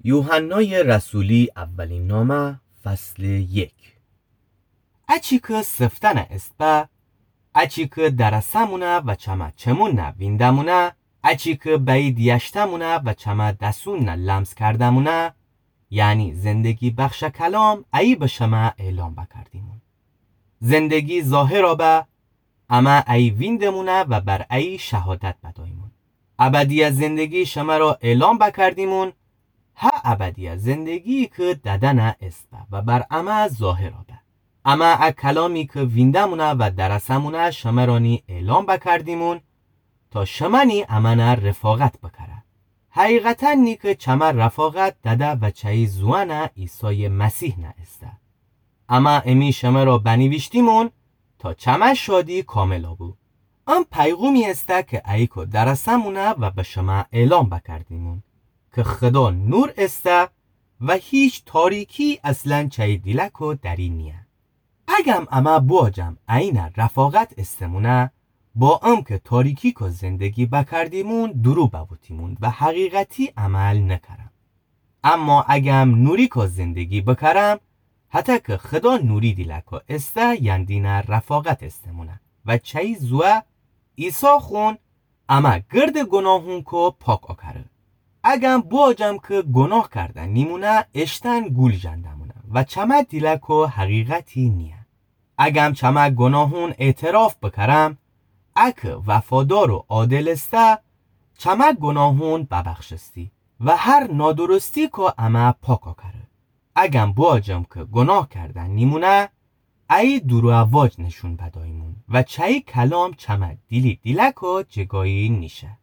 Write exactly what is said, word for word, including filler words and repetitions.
یوحنای رسولی، اولین نامه، فصل یک. اچی کی سفتنه ایسپه، اچی کی درسه‌مونه و چمه چمون نه وینده‌مونه، اچی کی بأیید یشته‌مونه و چمه دسون نه لمس کرده‌مونه، یعنی زندگی‌بخشه کلام، ایه به شمه اعلام بکردیمون. زندگی ظاهرَ به، امه ایه وینده‌مونه و بر ایه شهادت بداییمون. ابدیه زندگی شمره اعلام بکردیمون، هه ابدیه زندگی‌یی کی دده‌نه ایسپه و بر امه ظاهرَ به. امه ا کلامی کی وینده‌مونه و درسه‌مونه شمرأنی اعلام بکردیمون، تا شمأنی امأنه رفاقت بکره. حقیقتاً نیکی چمه رفاقت دده و چه‌یی زوأنه عیسای مسیح نه ایسته. امه امی شمرَ بنیویشتیمون تا چمه شادی کاملَ بو. ام پیغومی ایسته کی ایکو درسه‌مونه و به شمه اعلام بکردیمون کی خدا نور ایسته و هیچ تاریکی اصلاً چه‌یی دیلکو دری نیه. اگم امه بواجم اینه رفاقت ایسته‌مونه، با امکی تاریکی‌کو زندگی بکردیمون، دورو بوتیمون و حقیقتی عمل نکرم. اما اگم نوری‌کو زندگی بکرم، هطه کی خدا نوری دیلکو ایسته، یندینه رفاقت ایسته‌مونه و چه‌یی زوه عیسی خون امه گرد گوناهونکو پاک اوکره. اگم بواجم کی گوناه کرده نیمونه، اشتن گول ژنده‌مونه و چمه دیلکو حقیقتی نیه. اگم چمه گوناهون اعتراف بکرم، ا کی وفادار و عادل ایسته، چمه گوناهون ببخشستی و هر نادرستی‌کو امه پاک اوکره. اگم بواجم کی گوناه کرده نیمونه، ایه دورو واج نشون بداییمون و چه‌یی کلام چمه دیلی دیلکو جگایی نیشه.